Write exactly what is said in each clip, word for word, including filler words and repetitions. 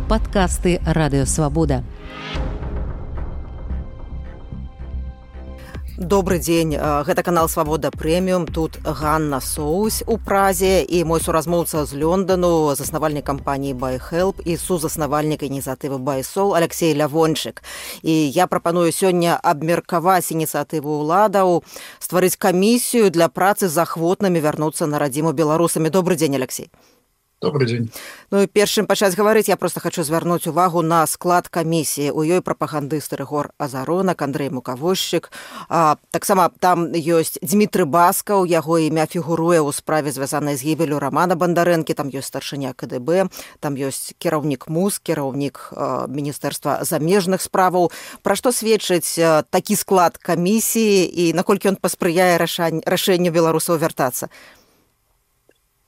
Падкасты Радыёвабода. Добрый дзень, гэта канал Свабода Прэміум, тут Ганна Соусь у Празе і мой суразмоўца з Лондану, заснавальнік кампаніі BuyHelp і сузаснавальнік ініцыятывы BuySol Алексей Лявончык. І я прапаную сёння абмеркаваць ініцыятыву ўладаў, стварыць камісію для працы з ахвотнымі вярнуцца на радзіму беларусамі. Добрый дзень, Алексей. Добрый день. Ну і першым пачаць гаварыць, я просто хочу звярнуць увагу на склад камісіі. У ёй прапагандыст Рыгор Азаронак, Андрэй Мукавозчык. А, таксама там ёсць Дзмітрый Баскаў, яго імя фігуруе ў справе, звязанай з гібеллю Рамана Бандарэнкі, там ёсць старшыня КДБ, там ёсць кіраўнік МУС, кіраўнік а, Міністэрства замежных справаў. Пра што сведчыць а, такі склад камісіі і наколькі ён паспрыяе рашэнню беларусаў вяртацца?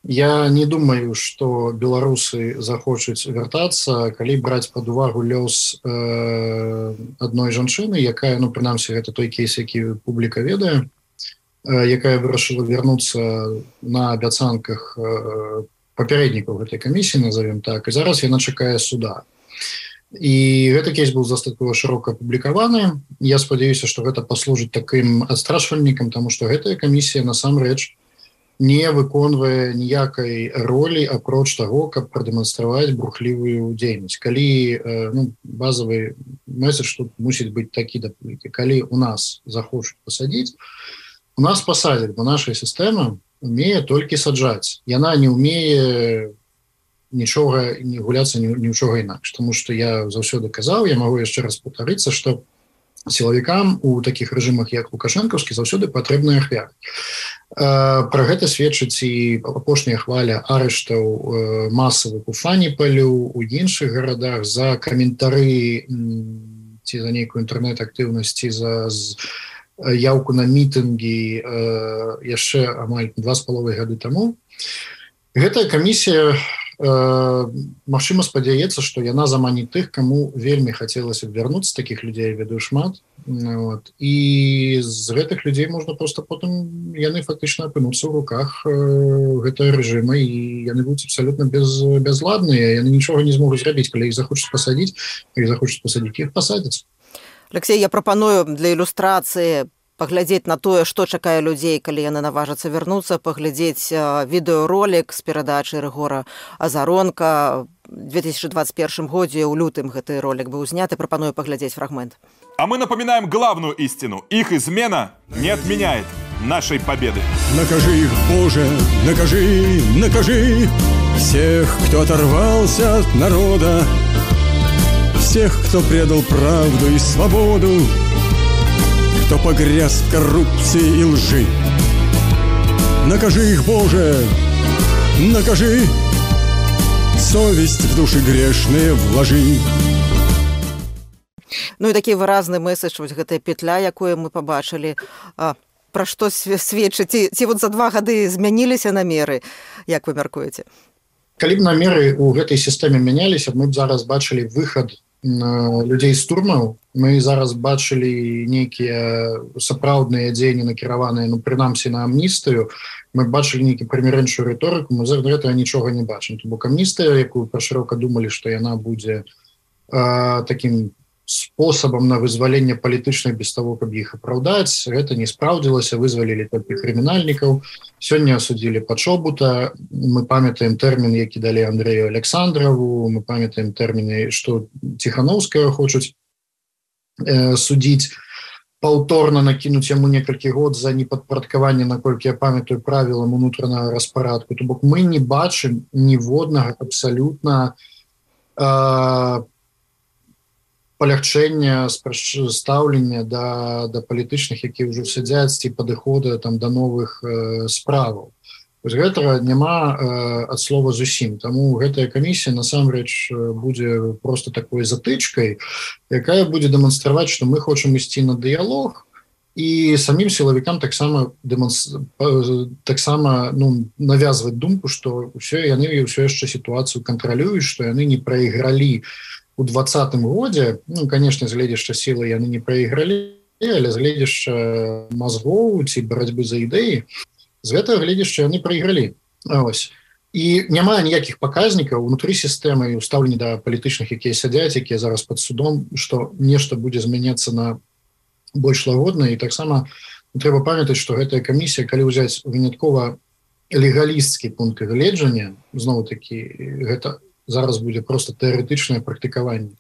Я не думаю, што беларусы захочуць вяртацца, калі браць пад увагу лёс э, адной жанчыны, якая, ну, прынамсі, гэта той кейс, які публіка ведае, э, якая вырашыла вярнуцца на абяцанках э, папярэднікаў гэтай камісіі, назовем так, і зараз яна чакае суда. І гэты кейс быў дастаткова шырока апублікаваны. Я спадзяюся, што гэта паслужыць такім адстрашвальнікам, таму што гэтая камісія насамрэч не выконвае ніякай ролі апроч таго, каб прадэманстраваць брухлівую дзейнасць. Калі ну, базавы месседж тут мусіць быць такі да публікі. Калі у нас захочуць пасадзіць, у нас пасадзяць, бо наша сістэма умее толькі саджаць. Яна не умее нічога не гуляцца ні, нічога інакш. Таму што я заўсёды казаў, я магу яшчэ раз паўтарыцца, што сілавікам у такіх рэжымах, як лукашэнкаўскі, заўсёды патрэбны ахвяр. Пра гэта сведчыць і апошняя хваля арыштаў масавых у Фаніпалю, у іншых гарадах за каментары ці за нейкую інтэрнэт-актыўнасць, ці за яўку на мітынгі яшчэ амаль два з паловай гады таму. Гэтая камісія, магчыма, спадзяецца, што яна заманіць тых, каму вельмі хацелася б вярнуцца, такіх людзей, я ведаю, шмат. Вот. І з гэтых людзей можна проста потым, яны фактычна апынуцца ў руках гэтага рэжыма, і яны будуць абсалютна без, бязладныя, яны нічога не змогуць зрабіць, калі іх захочуць пасадзіць, калі захочуць пасадзіць, іх пасадзяць. Алексей, я прапаную для ілюстрацыі паглядзець на тое, што чакае людзей, калі яны наважацца вярнуцца, паглядзець відэоролік з перадачы Рыгора Азаронка. В две тысячи двадцать первом годзе ў лютым гэты ролик быў зняты, прапаную паглядзець фрагмент. А мы напоминаем главную истину. Их измена не отменяет нашей победы. Накажи их, Боже, накажи, накажи всех, кто оторвался от народа, всех, кто предал правду и свободу, кто погряз в коррупции и лжи. Накажи их, Боже, накажи, совесть в души грешные вложи. Ну і такі выразны месседж, вось гэтая петля, якую мы пабачылі, а, пра што сведчыць? Ці, ці вот за два гады змяніліся намеры, як вы мяркуеце? Калі б намеры ў гэтай сістэме мяняліся, мы б зараз бачылі выхад людзей з турмаў, мы зараз бачылі нейкія сапраўдныя дзеянні накіраваныя, ну, прынамсі на амністыю, мы бачылі нейкі прымірэнчую рыторыку, мы за гэтага нічога не бачым. То бок амністыя, якую пашырока думалі, што яна будзе э, такім спосабам на вызваленне палітычных без таго, каб іх апраўдаць, гэта не спраўдзілася, вызвалілі толькі крымінальнікаў. Сёння асудзілі Пачобута, мы памятаем тэрмін, які далі Андрэю Александраву, мы памятаем тэрміны, што Ціхановскага хочуць э, судзіць, паўторна накінуць яму некалькі год за непадпарадкаванне, наколькі я памятаю, правілам унутранага распарадку. То бок мы не бачым ніводнага абсалютна э, палягчэння стаўлення да, да палітычных, якія ўжо сядзяць, ці падыхода там да новых э, справаў. Вось гэтага няма э, ад слова зусім. Таму гэтая камісія насамрэч будзе проста такой затычкай, якая будзе дэманстраваць, што мы хочам ісці на дыялог, і самім сілавікам таксама дэманс... таксама ну, навязваць думку, што ўсё яны ўсё яшчэ сітуацыю кантралююць, што яны не прайгралі у двадцатым годзе, ну, конечно, з гледзяшча сілы яны не прайгралі, але з гледзяшча мазгоў ці барацьбы за ідэі, з гэтага гледзяшча яны прайгралі. Ось. і няма ніякіх паказнікаў унутры сістэмы і ўстаўлення да палітычных, якія сядзяць, якія зараз пад судом, што нешта будзе змяняцца на больш лагодна. І таксама трэба памятаць, што гэтая камісія, калі ўзяць выняткова легалісцкі пункт гледжання, зноў-такі гэта зараз будзе проста тэарэтычнае практыкаванне.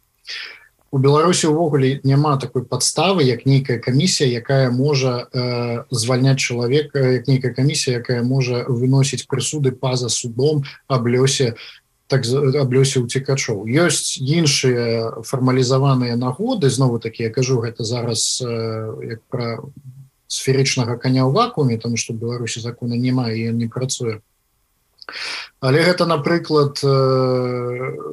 У Беларусі ўвогуле няма такой падставы, як нейкая камісія, якая можа э, звальняць чалавека, як нейкая камісія, якая можа выносіць прысуды па-за судом аб лёсе, так, аб лёсе ўцекачоў. Ёсць іншыя фармалізаваныя нагоды, знову-такі я кажу, гэта зараз э, як пра сферычнага коня ў вакууме, тому што ў Беларусі закона няма і ён не працуе. Але гэта, напрыклад,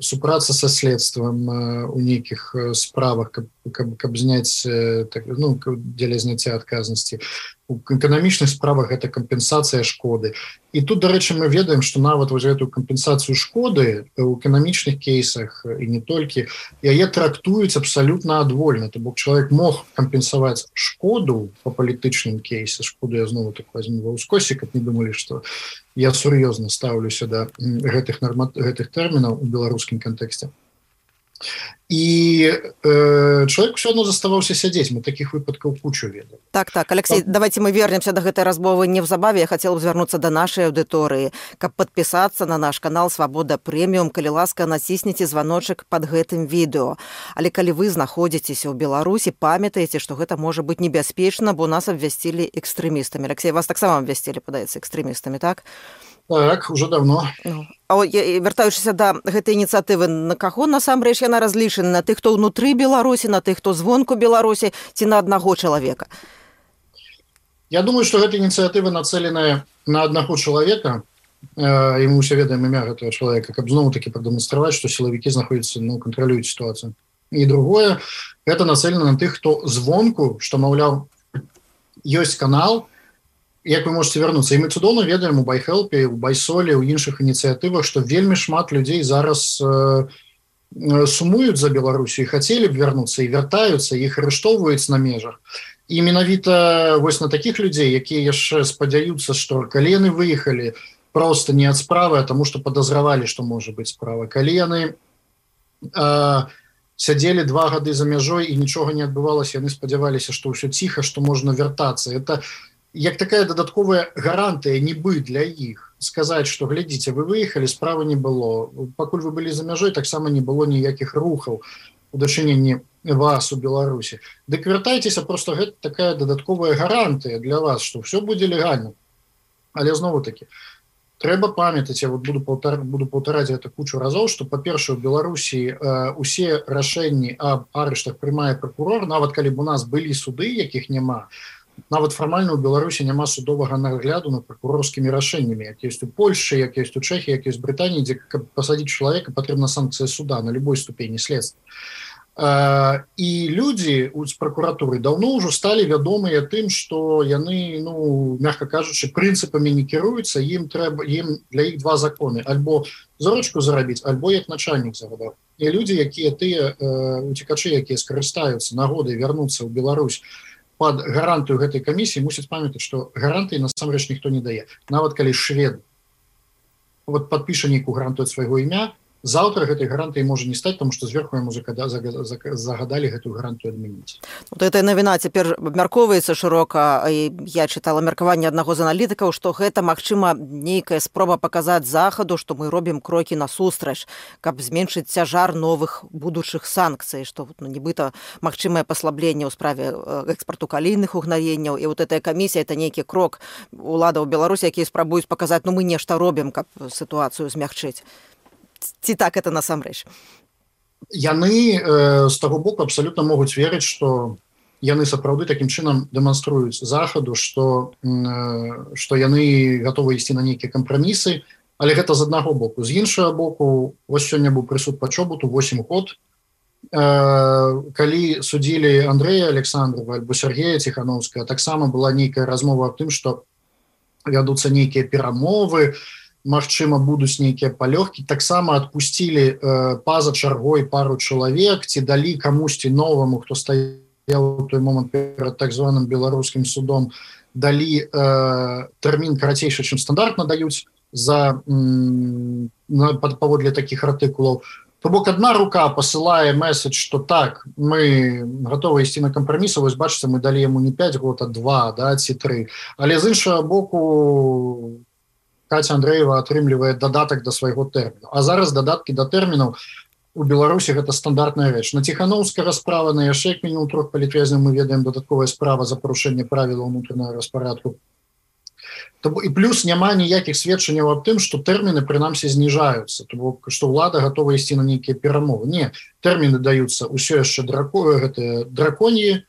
супраца са следствам у нейкіх справах, каб, каб, каб зняць, так, ну, дзеля зняцця адказнасці. У эканамічных справах гэта кампенсацыя шкоды. І тут, дарэчы, мы ведаем, што нават вось гэтую кампенсацыю шкоды у эканамічных кейсах і не толькі, яе трактуюць абсалютна адвольна. То бок чалавек мог кампенсаваць шкоду па палітычным кейсе. Шкоду я знову так возьму ва ўскосе, каб не думалі, што я сур'ёзна стаўлюся да гэтых, норма... гэтых тэрмінаў у беларускім кантэксце. І э, чалавек все одно заставаўся сядзець, мы такіх выпадкаў кучу ведаем. Так, так, Алексей, так. Давайте мы вернемся до гэтай размовы неўзабаве. Я хотела бы звярнуцца до нашай аўдыторыі, каб падпісацца на наш канал Свабода Прэміум. Калі ласка, націсніце званочак под гэтым відэо. Але калі вы знаходзіцеся ў Беларусі, памятаеце, што гэта можа быць небяспечна, бо нас абвясцілі экстрэмістамі. Алексей, вас таксама абвясцілі, падаецца, экстрэмістамі, так? Так, уже давно. Ну, а вяртаючыся да гэтай ініцыятывы, на каго насамрэч яна разлічана? На тых, хто ўнутры Беларусі, на тых, хто звонку Беларусі, ці на аднаго чалавека? Я думаю, што гэта ініцыятыва нацэленая на аднаго чалавека, і мы ўсе ведаем імя гэтага чалавека, каб зноў-такі прадэманстраваць, што сілавікі знаходзяцца, ну, кантралююць сітуацыю. І другое, гэта нацэлена на тых, хто звонку, што, маўляў, ёсць канал, як вы можете вярнуцца. І мы цудоўна ведаем у байхелпе, у байсоле, у іншых ініцыятывах, што вельмі шмат людзей зараз э, сумуюць за Беларусю і хацелі б вярнуцца і вяртаюцца, іх арыштоўваюць на межах. І менавіта вось на такіх людзей, якія яшчэ спадзяюцца, што калі яны выехалі проста не ад справы, а таму што падазравалі, што можа быць справа. Калі яны э, сядзелі два гады за мяжой і нічога не адбывалася, яны спадзяваліся, што ўсё ціха, што можна вяртацца. Это як такая дадатковая гарантыя нібы для іх сказаць, што глядзіце, вы выехалі, справы не было. Пакуль вы былі за мяжой, таксама не было ніякіх рухаў у дачыненні вас у Беларусі. Дык вяртайцеся, просто гэта такая дадатковая гарантыя для вас, што ўсё будзе легальна. Але знову-такі, трэба памятаць, я вот буду, паўтар... буду паўтараць гэта кучу разоў, што, па-першае, у Беларусі э, усе рашэнні аб арыштах прымае пракурор, нават калі б у нас былі суды, якіх няма, нават фармальна ў Беларусі няма судовага нагляду над пракурорскімі рашэннямі, як ёсць у Польшчы, як ёсць у Чэхіі, як ёсць у Брытаніі, дзе каб пасадзіць чалавека патрэбна санкцыя суда на любой ступені следства. І людзі з пракуратуры даўно ўжо сталі вядомыя тым, што яны, ну, мякка кажучы, прынцыпамі не кіруюцца, ім трэба, ім для іх два законы: альбо зорачку зарабіць, альбо як начальнік загадаў. І людзі, якія тыя уцекачы, якія скарыстаюцца нагодай вярнуцца ў Беларусь под гарантыю гэтай камісіі, мусіць памятаць, што гарантыі насамрэч ніхто не дае. Нават калі швед вот падпіша нейкую гарантыю ад свайго імя, заўтра гэтай гарантыі можа не стаць, тому што зверху яму загадалі гэтую гарантыю адмяніць. Вот эта навіна цяпер абмяркоўваецца шырока. Я чытала меркаванне аднаго з аналітыкаў, што гэта, магчыма, нейкая спроба паказаць захаду, што мы робім крокі насустрач, каб зменшыць цяжар новых будучых санкцый, што, ну, нібыта магчымае паслабленне ў справе экспарту калійных угнаенняў. І вот эта камісія — это нейкі крок уладаў Беларусі, якія спрабуюць паказаць, ну, мы нешта робім, каб сітуацыю змягчыць. Ці так это насамрэч? Яны э, з таго боку абсалютна могуць верыць, што яны сапраўды такім чынам дэманструюць захаду, што, э, што яны гатовы ісці на нейкія кампрамісы, але гэта з аднаго боку. З іншага боку, вось сёння быў прысуд па чобуту, восем год. Э, калі судзілі Андрэя Александрова альбо Сергея Ціхановскага, таксама была нейкая размова аб тым, што вядуцца нейкія перамовы, магчыма, будуць нейкія палёгкі. Таксама адпусцілі э, па-за чаргой пару чалавек, ці далі камусьці новаму, хто стаяў у той момант перад так званым беларускім судом, далі э, тэрмін карацейшы, чым стандартна даюць за м, паводле такіх артыкулаў. То бок одна рука посылае месседж, что так, мы готовы ісці на кампраміс, вось бачыце, мы далі яму не пять год, а два, да, ці тры. Але з іншага боку Катя Андреева атрымлівае дадатак да свайго тэрміну. А зараз дадаткі да тэрмінаў у Беларусі гэта стандартная рэч. На Ціхановскага справа, на яшчэ як мінімум трох палітвязняў мы ведаем дадатковая справа за парушэнне правілаў унутранага распарадку. І плюс няма ніякіх сведчанняў аб тым, што тэрміны прынамсі зніжаюцца, то бок што ўлада гатова ісці на нейкія перамовы. Не, тэрміны даюцца ўсё яшчэ драко, гэта драконіі.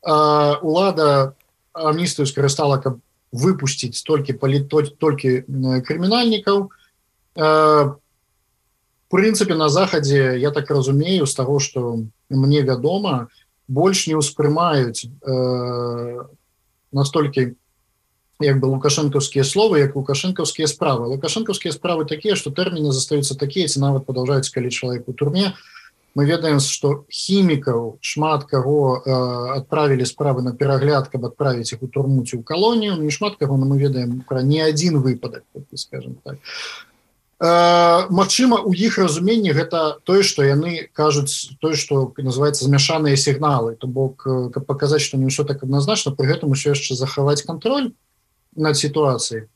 А улада амністыю скарыстала, каб выпусціць толькі толькі крымінальнікаў. В прынцыпе, на захадзе, я так разумею, з таго, што мне вядома, больш не ўспрымаюць э, настолькі як бы лукашэнкаўскія словы, як лукашэнкаўскія справы. Лукашэнкаўскія справы такія, што тэрміны застаюцца такія, ці нават падаўжаюць, калі чалавек у турме. Мы ведаем, што хімікаў шмат каго э, адправілі справы на перагляд, каб адправіць іх у турму ці ў калонію. Не шмат каго, но мы ведаем пра не адзін выпадак, скажем так. Э, магчыма, у іх разуменні гэта тое, што яны кажуць, тое, што называецца змяшаныя сігналы. То бок, каб паказаць, што не ўсё так адназначна, пры гэтым усё яшчэ захаваць кантроль над сітуацыяй.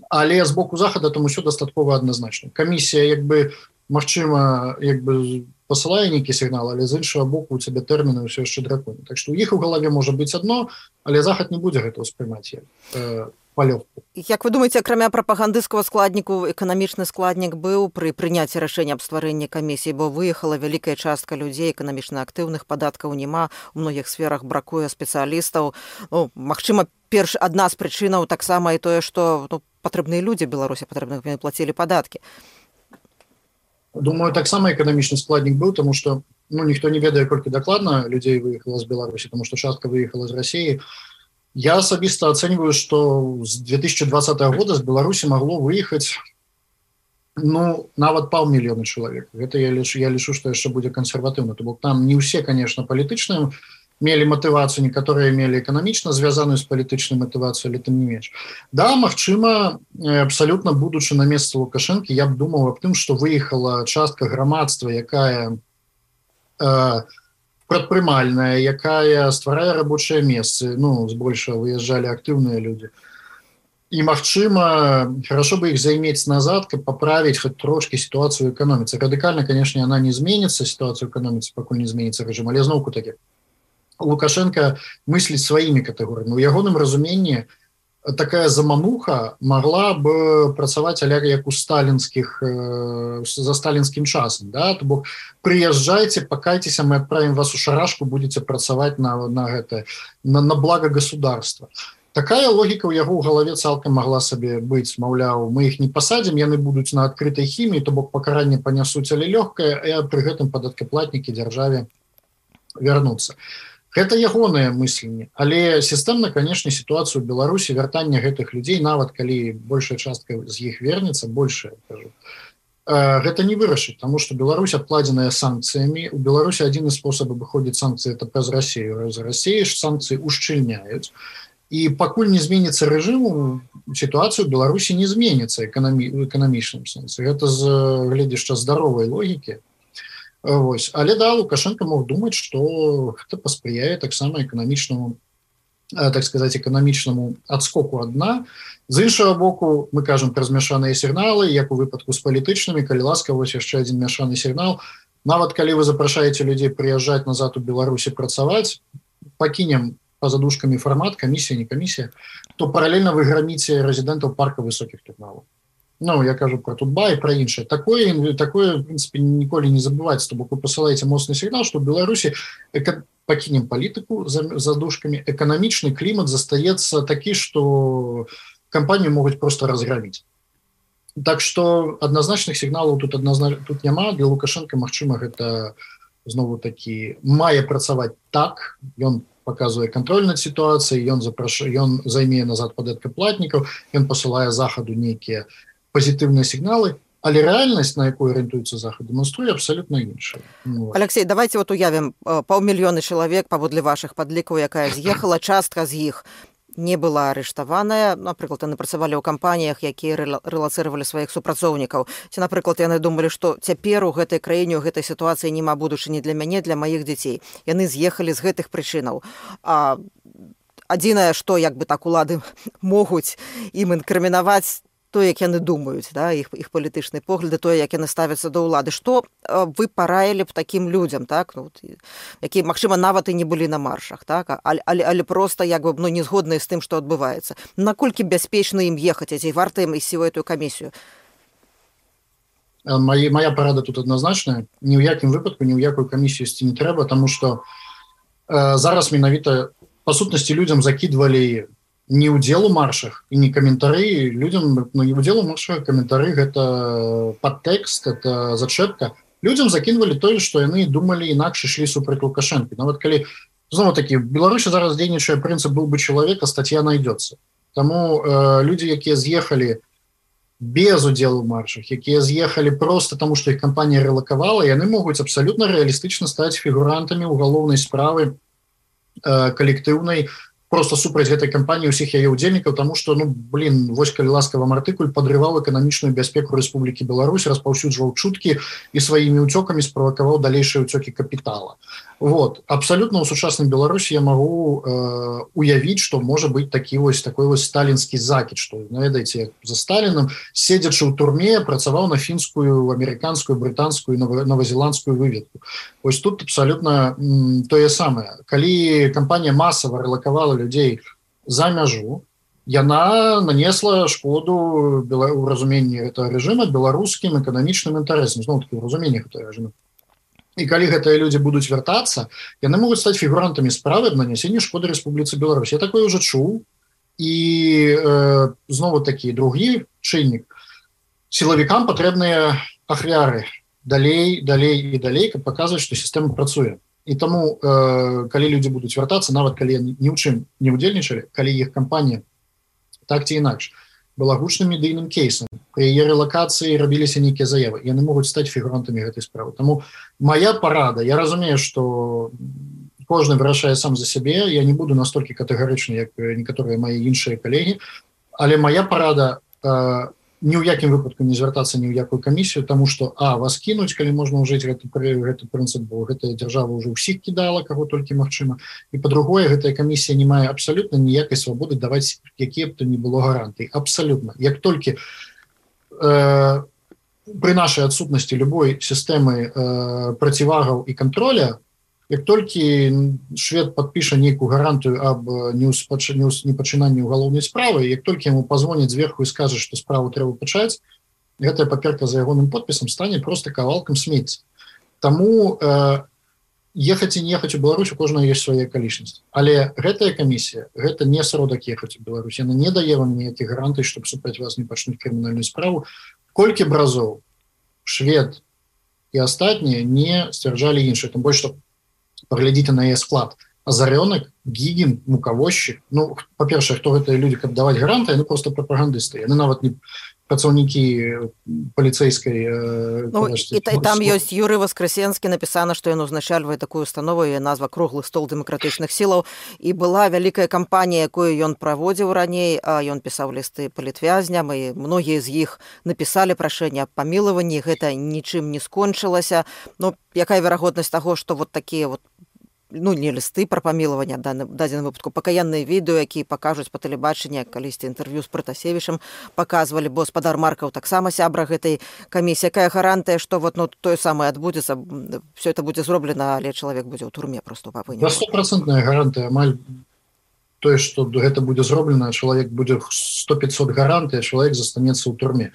Але з боку захада там усё дастаткова адназначна. Камісія, як бы, магчыма, як бы пасылае нейкі сігнал, але з іншага боку у цябе тэрміны ўсё яшчэ драконі. Так што у іх у галаве можа быць адно, але захад не будзе гэта ўспрымаць як э, палёвку. Як вы думаеце, акрамя прапагандысцкага складніку, эканамічны складнік быў пры прыняцці рашэння аб стварэнні камісіі, бо выехала вялікая частка людзей, эканамічна актыўных, падаткаў няма, у многіх сферах бракуе спецыялістаў. Ну, магчыма, перш адна з прычынаў таксама і тое, што ну, патрэбныя людзі Беларусі, патрэбных плацілі падаткі. Думаю, таксама эканамічны складнік быў, тому што ну, ніхто не ведае, колькі дакладна людзей выехала з Беларусі, тому што частка выехала з Расіі. Я асабіста ацэньваю, што з две тысячи двадцатого года з Беларусі магло выехаць ну, нават паўмільёна чалавек. Гэта я лічу, я лічу, што яшчэ будзе кансерватыўна. То бок там не ўсе, конечно, палітычныя мелі матывацыю, некаторыя мелі эканамічна звязаную з палітычнай матывацыяй, але тым не менш. Да, магчыма, абсалютна будучы на месцы Лукашэнкі, я б думаў аб тым, што выехала частка грамадства, якая э, прадпрымальная, якая стварае рабочыя месцы, ну, збольшага выязджалі актыўныя людзі. І, магчыма, хорошо бы іх займець назад, каб паправіць хоць трошкі сітуацыю ў эканоміцы. Радыкальна, канешне, яна не зменіцца, сітуацыю ў эканоміцы, пакуль не зменіцца рэжым, але зноўку такі. Лукашенко мысліць сваімі катэгорыямі. У ягоным разуменні такая замануха могла бы працаваць аля як у сталінскіх э, за сталінскім часам, да? То бок прыязджайце, пакайцеся, мы адправім вас у шарашку, будете працаваць на, на гэта на, на благо государства. Такая логіка ў яго ў галаве цалкам могла сабе быць, маўляў, мы іх не пасадзім, яны будуць на адкрытай хіміі, то бок пакаранне панясуць, але лёгкае, а пры гэтым падаткаплатнікі дзяржаве вярнуцца. Гэта ягонае мысленне, але сістэмна, канешне, сітуацыю ў Беларусі, вяртанне гэтых людзей, нават калі большая частка з іх вернецца, большая, кажу, гэта не вырашыць, таму што Беларусь абкладзеная санкцыямі. У Беларусі адзіны спосаб абыходзіць санкцыі это праз Расію. З Расіі ж санкцыі ушчыльняюць. І пакуль не зменіцца рэжыму, сітуацыю ў Беларусі не зменіцца эканамі... у эканамічным сэнсе. Гэта з гледзяча здаровай логікі. Вось. Але да, Лукашенко мог думаць, што гэта паспрыяе таксама эканамічнаму, так сказаць, эканамічнаму адскоку ад дна. З іншага боку, мы кажам пра змяшаныя сігналы, як у выпадку з палітычнымі, калі ласка, вось яшчэ адзін мяшаны сігнал. Нават калі вы запрашаеце людзей прыязджаць назад у Беларусі працаваць, пакінем па-за дужкамі фармат, камісія, не камісія, то паралельна вы граміце рэзідэнтаў парка высокіх тэхналогій. Ну, я кажу про Тутбай, про іншае. Такое, такое, в принципе, ніколі не забываць, то бок вы пасылаеце моцны сігнал, што ў Беларусі эка... пакінем палітыку за, за дужкамі, эканамічны клімат застаецца такі, што кампанію могуць проста разграміць. Так што адназначных сігналаў тут адназнач... тут няма. Для Лукашенко, магчыма, гэта знову такі мае працаваць так, ён показывае контроль над сітуацыяй, ён запраш... ён займе назад падаткаплатнікаў, ён пасылае захаду нейкія пазітыўныя сігналы, але рэальнасць, на якую арыентуецца захад, дэманструе абсалютна іншая. Вот. Алексей, давайте вот уявім паўмільёны чалавек, паводле вашых падлікаў, якая з'ехала, частка з іх не была арыштаваная, напрыклад, яны працавалі ў кампаніях, якія рэлацыравалі сваіх супрацоўнікаў, ці, напрыклад, яны думалі, што цяпер у гэтай краіне, у гэтай сітуацыі няма будучыні для мяне, для маіх дзяцей. Яны з'ехалі з гэтых прычынаў. А адзінае, што як бы так улады могуць ім інкрымінаваць, то, як яны думаюць, да, іх, іх палітычныя погляды, тое, як яны ставяцца да ўлады. Што вы параілі б такім людзям, так, ну, якія, магчыма, нават і не былі на маршах, так, але, але, але проста як бы, ну, не згодныя з тым, што адбываецца. Наколькі бяспечна ім ехаць, а ці варта ім ісці ў эту камісію? Моя, моя парада тут адназначная. Ні ў якім выпадку, ні ў якую камісію ісці не трэба, таму што э, зараз менавіта, па сутнасці, людзям закідвалі не ўдзел у маршах і не каментары людям, ну, не ўдзел у маршах, каментары гэта падтэкст, это зачэпка. Людям закінвалі тое, што яны думалі інакш, ішлі супраць Лукашэнкі. Нават калі зноў такі, в Беларусі зараз дзейнічае прынцып «был бы чалавека, статья найдется». Таму э, людзі, якія з'ехалі без удзелу ў маршах, якія з'ехалі проста таму, што іх кампанія рэлакавала, яны могуць абсалютна рэалістычна стаць фігурантамі угалоўнай справы э, калектыўнай, просто супраць гэтай кампаніі ўсіх яе ўдзельнікаў, таму што, ну, блин, вось калі ласка вам артыкуль падрываў эканамічную бяспеку Рэспублікі Беларусь, распаўсюджваў чуткі і сваімі ўцёкамі справакаваў далейшыя ўцёкі капітала. Вот. Абсалютна ў сучасным Беларусі я магу э, уявіць, што можа быць такі вось такой вось сталінскі закід, што, наведаеце, за Сталіным, седзячы ў турме, працаваў на фінскую, амерыканскую, брытанскую, новазеландскую выведку. Вось тут абсалютна м, тое самае. Калі кампанія масава рэлакавала людзей за мяжу, яна нанесла шкоду у разуменні гэтага рэжыма беларускім эканамічным інтарэсам, зноў такі ў разуменні гэтага рэжыма. І калі гэтыя людзі будуць вяртацца, яны могуць стаць фігурантамі справы аб нанесенні шкоды Рэспубліцы Беларусь. Я такое ўжо чуў. І э, знову такі другі чыннік. Сілавікам патрэбныя ахвяры далей, далей і далей, каб паказваць, што сістэма працуе. І таму, э, калі людзі будуць вяртацца, нават калі яны ні ў чым не ўдзельнічалі, калі іх кампанія так ці інакш была гучным медыйным кейсам, пры яе рэлакацыі рабіліся нейкія заявы, яны могуць стаць фігурантамі гэтай справы. Таму моя парада, я разумею, што кожны вырашае сам за сябе, я не буду настолькі катэгарычны, як некаторыя мае іншыя калегі, але моя парада э, ні ў якім выпадку не звяртацца ні ў якую камісію, таму што, а, вас кінуць, калі можна ўжыць гэты, гэты прынцып, бо гэтая дзяржава ўжо ўсіх кідала, каго толькі магчыма. І па-другое, гэтая камісія не мае абсалютна ніякай свабоды даваць якія б то не было гарантый. Абсалютна. Як толькі э, пры нашай адсутнасці любой сістэмы э, процівагаў і контроля, як толькі швед падпіша нейкую гарантыю аб непачынанні угалоўнай справы, як толькі яму пазвоняць зверху і скажа, што справу трэба пачаць, гэтая паперка за ягоным подпісам стане проста кавалкам смецця. Таму э, ехаць і не ехаць у Беларусь, у кожнага ёсць свае акалічнасці. Але гэтая камісія, гэта не сродак ехаць у Беларусь. Яна не дае вам ніякіх гарантый, што супраць вас не пачнуць крымінальную справу. Колькі б разоў швед і астатнія не сцвярджалі іншыя, тым больш, што паглядзіце на яе склад. Азарёнак, Гігін, Мукавошчык. Ну, па-першае, хто гэтыя людзі, каб даваць гаранты, яны проста прапагандысты. Яны нават не працаўнікі паліцэйскай... Э, ну, і, і там ёсць Юрый Воскресенскі, напісана, што ён узначальвае такую установу, яе назва «Круглы стол дэмакратычных сілаў». І была вялікая кампанія, якую ён праводзіў раней, а ён пісаў лісты палітвязням, і многія з іх напісалі прашэнне аб памілаванні, гэта нічым не скончылася. Ну, якая верагоднасць таго, што вот такія вот ну, не лісты пра памілаванне, дадзеным выпадку, пакаянныя відэо, якія пакажуць па тэлебачанні, калісьці інтэрв'ю з Пратасевічам паказвалі, бо спадар Маркаў таксама сябра гэтай камісіі. Якая гарантыя, што вот, ну, тое самае адбудзецца, все это будзе зроблена, але чалавек будзе ў турме просто па выніку. стопроцентная гарантыя, амаль тое, што гэта будзе зроблена, чалавек будзе сто пятьсот гарантыя, чалавек застанецца ў турме.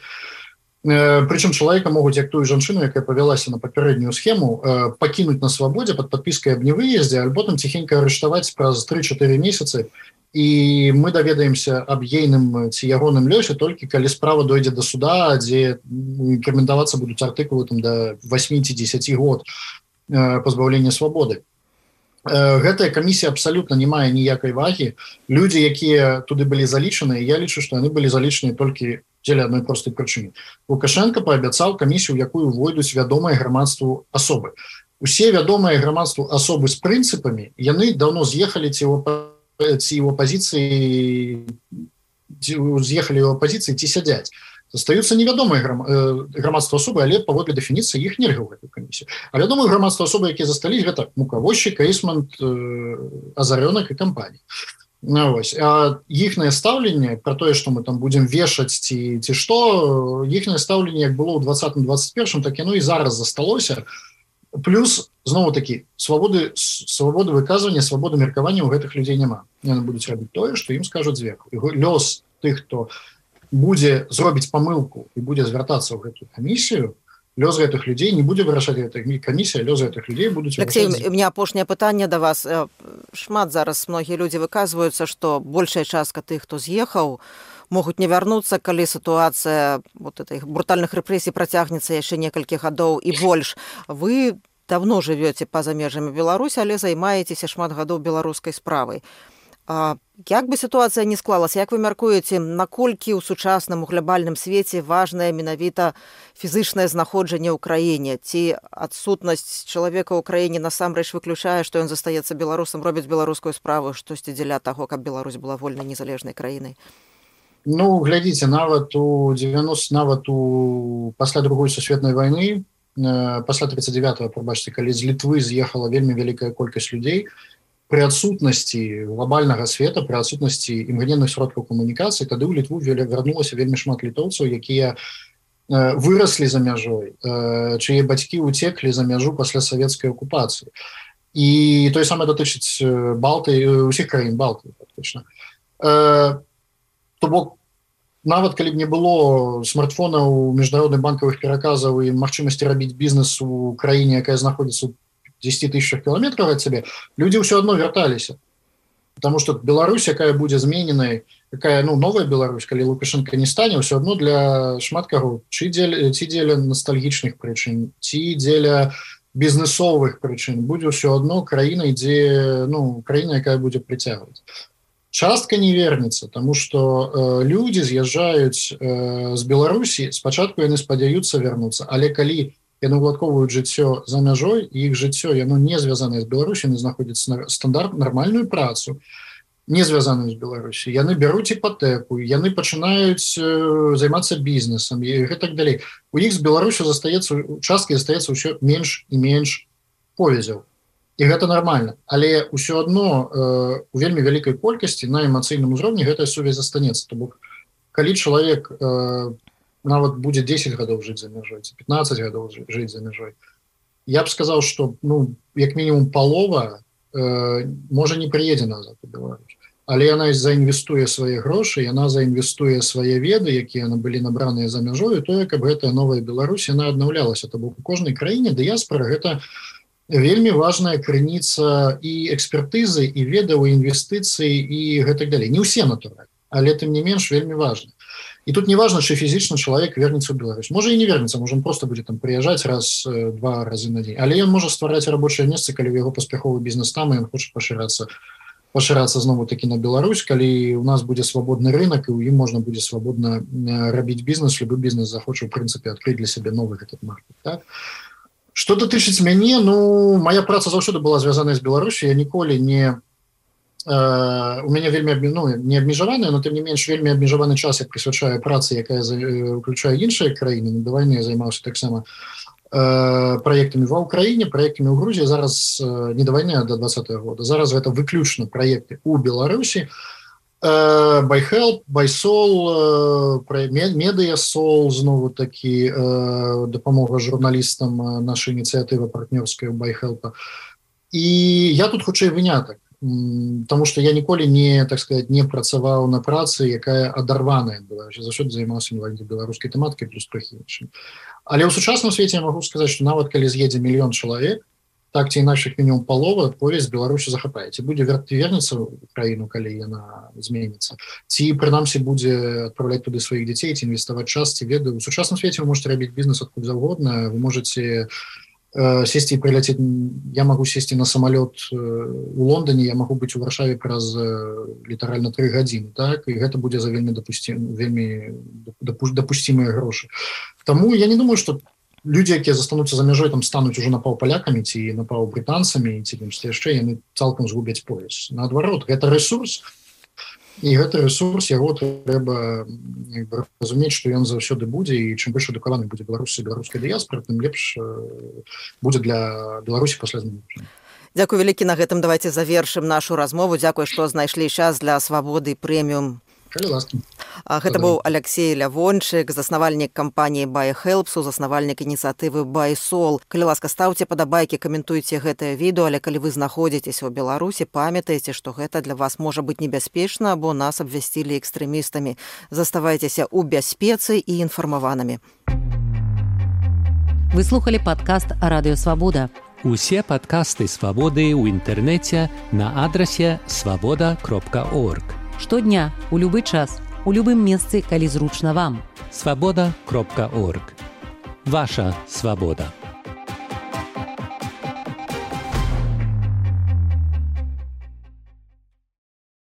Прычым чалавека могуць, як тую жанчыну, якая павялася на папярэднюю схему, пакінуць на свабодзе пад падпіскай аб невыездзе, альбо там ціхенька арыштаваць праз тры-чатыры месяцы, і мы даведаемся аб ейным ці ягоным лёсе толькі калі справа дойдзе да суда, дзе інкрэментавацца будуць артыкулы там да восьмі ці дзесяці год пазбаўлення свабоды. Гэтая камісія абсалютна не мае ніякай вагі. Людзі, якія туды былі залічаныя, я лічу, што яны былі залічаныя толькі дзеля адной простай прычыны. Лукашенко паабяцаў камісію, якую увойдуць вядомыя грамадству асобы. Усе вядомыя грамадству асобы з прынцыпамі, яны даўно з'ехалі ці ў ці ў апазіцыі з'ехалі ў апазіцыі ці сядзяць. Застаюцца невядомыя грамадства асобы, але паводле дэфініцыі іх нельга ў гэтую камісію. А вядомыя грамадства асобы, якія застались, гэта Мукавошчык, Эйсмонт, Азарёнак і кампанія. Ну, вось. А іхнае стаўленне пра тое, што мы там будзем вешаць ці, ці што, іхнае стаўленне як было ў двадцатым двадцать першым, так яно і зараз засталося. Плюс, зноў-такі, свабоды, свабоды выказвання, свабоды меркавання ў гэтых людзей няма. Яны будуць рабіць тое, што ім скажуць зверху. Лёс тых, хто будзе зробіць памылку і будзе звяртацца ў гэтую камісію, лёс гэтых людзей не будзе вырашаць гэтая камісія, лёс гэтых людзей будуць вырашаць. Алексей, у меня апошняе пытанне да вас. Шмат зараз многія людзі выказваюцца, што большая частка тых, хто з'ехаў, могуць не вярнуцца, калі сітуацыя вот этих брутальных рэпрэсій працягнецца яшчэ некалькі гадоў і больш. Вы давно жывёце па-за межамі Беларусі, але займаецеся шмат гадоў беларускай справай. А як бы сітуацыя не склалася, як вы мяркуеце, наколькі ў сучасным у глобальным свеце важнае менавіта фізычнае знаходжанне ў краіне? Ці адсутнасць чалавека ў краіне насамрэч выключае, што ён застаецца беларусам, робіць беларускую справу, штосьці дзеля таго, каб Беларусь была вольнай незалежнай краінай? Ну, глядзіце, нават у девяностых, нават у пасля другой сусветнай вайны, пасля тридцать девятого, прабачце, калі з Літвы з'ехала вельмі вялікая колькасць людзей, при адсутнасці глобальнага света, при адсутнасці імгненных сродкаў камунікацыі, тады ў Літву вярнулася вельмі шмат літоўцаў, якія выраслі за мяжой, чые бацькі ўцеклі за мяжу пасля савецкай акупацыі. І тое самае датычыць Балтыі, усіх краін Балтыі, фактычна. То бок, нават калі б не было смартфонаў, міжнародных банкавых пераказаў і магчымасці рабіць бізнес у краіне, якая знаходзіцца ў десяти тысячах километров от себя, люди все одно вертались. Потому что Беларусь, якая будет змененной, какая, ну, новая Беларусь, коли Лукашенко не станет, все одно для шмат кого, ці дзеля ностальгичных причин, ці дзеля бизнесовых причин, будет все одно краина, где, ну, краина, якая будет притягивать. Частка не вернется, потому что э, люди з'язджаюць э, з Беларусі, спачатку яны спадзяюцца вярнуцца, але калі яны уладковваюць жыццё за мяжой, і іх жыццё, яно не звязанае з Беларусі, яны знаходзяць на стандарт, нармальную працу, не звязаную з Беларусі. Яны бяруць іпотэку, яны пачынаюць э, займацца бізнесам і гэтак далей. У іх з Беларусю застаецца, часткі застаецца ўсё менш і менш повязяў. І гэта нармальна. Але ўсё адно э, у вельмі вялікай колькасці на эмацыйным узроўні гэтая сувязь застанецца. То бок, калі чалавек э, нават будзе дзесяць гадоў жыць за мяжой, ці пятнаццаць гадоў жыць за мяжой, я б сказаў, што, ну, як мінімум палова э, можа не прыедзе назад у Беларусь. Але яна заінвестуе свае грошы, яна заінвестуе свае веды, якія яны былі набраныя за мяжою, тое, каб гэтая новая Беларусь, яна аднаўлялася. То бок у кожнай краіне дыяспара гэта вельмі важная крыніца і экспертызы, і ведаў, і інвестыцый, і гэтак далей. Не ўсе, натуральна, але тым не менш вельмі важна. І тут не важна, чи фізічна чалавек вернецца ў Беларусь. Можа і не вернецца, можа он просто будзе там прыязджаць раз, два разы на дзень. Але ён можа ствараць рабочае месца, калі ў яго паспяховы бізнес там, і ён хоча пашырацца, пашырацца знову-такі на Беларусь, калі у нас будзе свабодны рынок, і ў ім можна будзе свабодна рабіць бізнес, любы бізнес захоча, ў прынцыпе, адкрыць для сябе новы этот маркет. Так? Што датычыць мяне, ну, моя праца заўсёды была звязаная з Беларусю, я ніколі не... Э, у мяне вельмі, ну, не абмежаваная, но тым не менш вельмі абмежаваны час я прысвячаю працы, якая ўключае іншыя краіны. Да вайны я займаўся таксама э, праектамі ва ўкраіне, праектамі ў Грузіі, зараз э, не да вайны, а да двадцатого года. Зараз гэта выключна праекты ў Беларусі. Uh, ByHelp, BySol, uh, Медыасол, знову такі uh, дапамога журналістам, uh, наша ініцыятыва партнёрская ў ByHelp. І я тут хутчэй вынятак, um, таму што я ніколі не, так сказать, не працаваў на працы, якая адарваная была. Я заўсёды займаўся невальнай беларускай тэматыкай плюс трохі іншым. Але ў сучасным свеце я магу сказаць, што нават калі з'едзе мільён чалавек, так ці інакш мінімум палова повязь Беларусі захапае. Ці будзе вернецца ў краіну, калі яна зменіцца. Ці, прынамсі, будзе адпраўляць туды сваіх дзяцей, ці інвеставаць час, ці ведаю. У сучасным свеце вы можете рабіць бізнес адкуль заўгодна, вы можете э, сесці і прыляцець, я магу сесці на самалёт э, у Лондоне, я магу быць у Варшаве праз э, літаральна тры гадзіны, так? І гэта будзе за вельмі дапусцім, вельмі дапусцімыя грошы. Таму я не думаю, што людзі, якія застануцца за мяжой, там стануць ужо напаў палякамі ці напаў брытанцамі, ці яшчэ яны цалкам згубяць пояс. Наадварот, гэта рэсурс, і гэты рэсурс, яго трэба разумець, што ён заўсёды будзе, і чым больш адукаваны будзе беларусы і беларускай дыяспоры, тым лепш будзе для Беларусі пасля змены. Дзякуй вялікі, на гэтым давайте завершым нашу размову. Дзякуй, што знайшлі час для Свабоды прэміум. Калі ласка. Гэта быў Алексей Лявончык, заснавальнік кампаніі BuyHelp, заснавальнік ініцыятывы BuySol. Калі ласка, стаўце падабайкі, каментуйце гэтае відэо, але калі вы знаходзіцеся ў Беларусі, памятайце, што гэта для вас можа быць небяспечна, бо нас абвясцілі экстрэмістамі. Заставайцеся ў бяспецы і інфармаванымі. Вы слухалі падкаст Радыё Свабода. Усе падкасты Свабоды ў інтэрнэце на адрасе свабода кропка орг. Штодня, у любы час, у любым месцы, калі зручна вам. свабода кропка орг. Ваша свабода.